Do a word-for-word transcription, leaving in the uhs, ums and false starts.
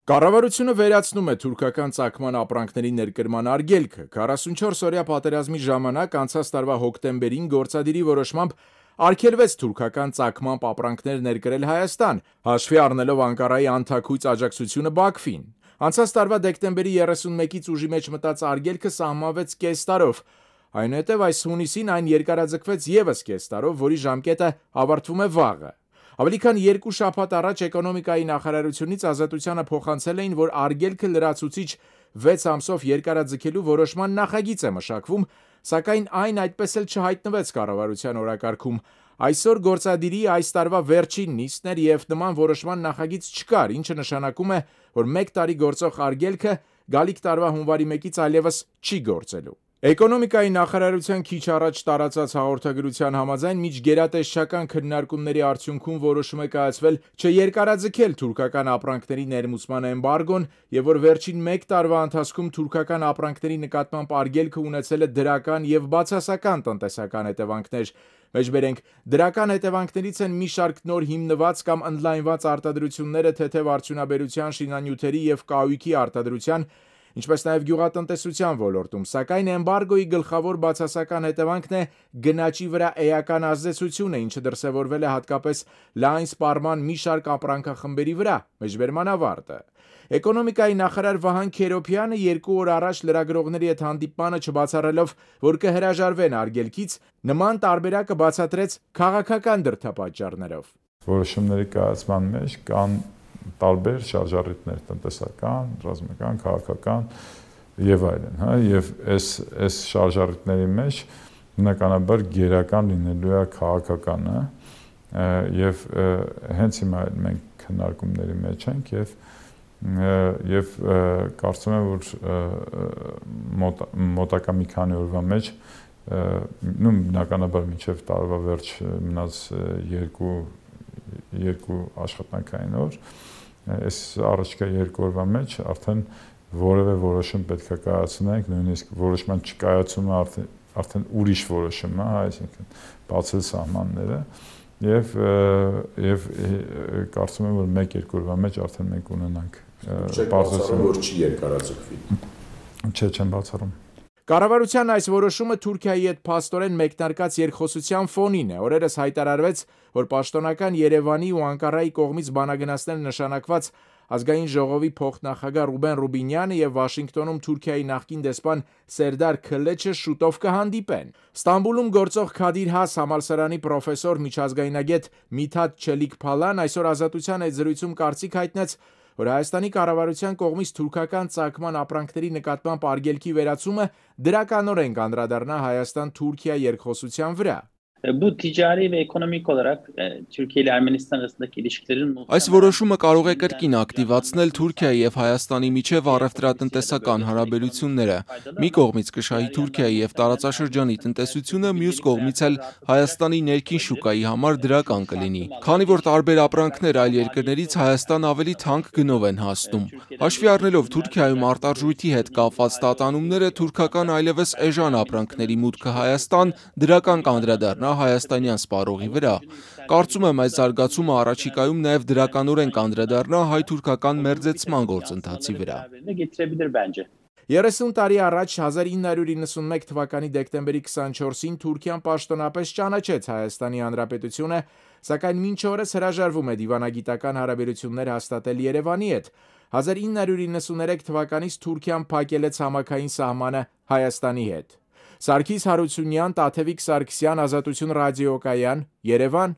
Կառավարությունը վերացնում է թուրքական ծագման ապրանքների ներկրման արգելքը։ քառասունչորս օրյա պատերազմի ժամանակ անցած տարվա հոկտեմբերին գործադիրի որոշմամբ արգելվեց թուրքական ծագման ապրանքներ ներկրել Հայաստան, հաշվի առնելով Անկարայի անթաքույց աջակցությունը Բաքվին։ Անցած տարվա դեկտեմբերի երեսունմեկից ուժի մեջ մտած արգելքը սահմանվեց կես տարով։ Այնուհետև այս հունիսին այն երկարաձգվեց ևս կես տարով, որի ժամկետը ավարտվում է վաղը։ Ավելի քան երկու շաբաթ առաջ էկոնոմիկայի նախարարությունից Ազատությանը փոխանցել էին, որ արգելքը լրացուցիչ վեց ամսով երկարաձգելու որոշման նախագիծ է մշակվում, սակայն այն այդպես էլ չհայտնվեց կառավարության օրակարգում։ Այսօր գործադիրի այս տարվա վերջին նիստն էր և նման որոշման նախագիծ չկար, ինչը նշանակում է, որ մեկ տարի գործող արգելքը գալիք տարվա հունվարի մեկից այլևս չի գործելու։ Էկոնոմիկայի նախարարության քիչ առաջ տարածած հաղորդագրության համաձայն միջգերատեսչական քննարկումների արդյունքում որոշում է կայացվել չերկարաձգել թուրքական ապրանքների ներմուծման էմբարգոն և որ վերջին մեկ տարվա ընթացքում թուրքական ապրանքների նկատմամբ արգելքը ունեցել է դրական և բացասական տնտեսական հետևանքներ։ Մեջբերենք, դրական հետևանքներից են մի շարք նոր հիմնված կամ ընդլայնված արտադրությունները թեթև արդյունաբերության, շինանյութերի և կահույքի արտադրության, ինչպես նաև գյուղատնտեսության ոլորտում, սակայն էմբարգոյի գլխավոր բացասական հետևանքն է գնաճի վրա էական ազդեցությունը, ինչը դրսևորվել է հատկապես լայն սպառման մի շարք ապրանքախմբերի վրա։ Մեջբերման ավարտը։ Էկոնոմիկայի նախարար Վահան Քերոբյանը երկու օր առաջ լրագրողների հետ հանդիպմանը չբացառելով, որ կհրաժարվեն արգելքից, նման տարբերակը բացատրեց քաղաքական դրդապատճառներով։ Որոշումների կայացման մեջ կան տարբեր շարժառիթներ՝ տնտեսական, ռազմական, քաղաքական եւ այլն, հա, եւ այս այս շարժառիթների մեջ բնականաբար գերական լինելու է քաղաքականը եւ հենց հիմա մենք քննարկումների մեջ ենք եւ եւ կարծում եմ, որ մոտ, մոտակա մի քանի օրվա մեջ նույն բնականաբար մինչեւ տարվա վերջ մնաց երկու երկու աշխատանքային օր, այս առաջկա երկու օրվա մեջ արդեն որևէ որոշում պետք է կայացնենք, նույնիսկ որոշման չկայացումը արդեն արդեն ուրիշ որոշում է, այսինքն բացել սահմանները եւ եւ կարծում եմ, որ մեկ-երկու օրվա մեջ արդեն մենք ունենանք բարձրացում, որ չի երկարաձգվի։ Չէ, չեմ բացառում։ Կառավարության այս որոշումը Թուրքիայի հետ փաստորեն մեկնարկած երկխոսության ֆոնին է։ Օրերս հայտարարվեց, որ պաշտոնական Երևանի ու Անկարայի կողմից բանագնացներ նշանակված Ազգային ժողովի փոխնախագահ Ռուբեն Ռուբինյանը եւ Վաշինգտոնում Թուրքիայի նախկին դեսպան Սերդար Քլեչը շուտով կհանդիպեն։ Ստամբուլում գործող Քադիր Has համալսարանի պրոֆեսոր միջազգայնագետ Միթաթ Չելիք-Փալան այսօր Ազատության հետ զրույցում կարծիք հայտնեց, որ Հայաստանի կառավարության կողմից թուրքական ծագման ապրանքների նկատմամբ արգելքի վերացումը դրականորեն կանդրադառնա Հայաստան-Թուրքիա երկխոսության վրա։ Bu ticari ve ekonomik olarak Türkiye ile Ermenistan arasındaki ilişkilerin Այս որոշումը կարող է կրկին ակտիվացնել Թուրքիայի եւ Հայաստանի միջև առևտրատնտեսական հարաբերությունները։ Մի կողմից կշահի Թուրքիայի եւ տարածաշրջանի տնտեսությունը, մյուս կողմից էլ Հայաստանի ներքին շուկայի համար դրական կլինի, քանի որ տարբեր ապրանքներ այլ երկրներից Հայաստան ավելի թանկ գնով են հասնում։ Հաշվի առնելով Թուրքիայում արտարժույթի հետ կապված տատանումները, թուրքական այլևս էժան ապրանքների մուտքը Հայաստան դրական կանդրադառնա հայաստանյան սպառողի վրա։ Կարծում եմ, այս զարգացումը առաջիկայում նաև դրականորեն կանդրադառնա հայ-թուրքական մերձեցման գործընթացի վրա։ երեսուն տարի առաջ հազար ինը հարյուր իննսունմեկ թվականի դեկտեմբերի քսանչորսին Թուրքիան պաշտոնապես ճանաչեց Հայաստանի Հանրապետությունը, սակայն մինչ օրս հրաժարվում է դիվանագիտական հարաբերություններ հաստատել Երևանի հետ։ հազար ինը հարյուր իննսուներեք թվականից Թուրքիան փակել է ցամաքային սահմանը Հայաստանի հետ։ Սարգիս Հարությունյան, Տաթևիկ Սարգսյան, Ազատություն ռադիոկայան, Երևան։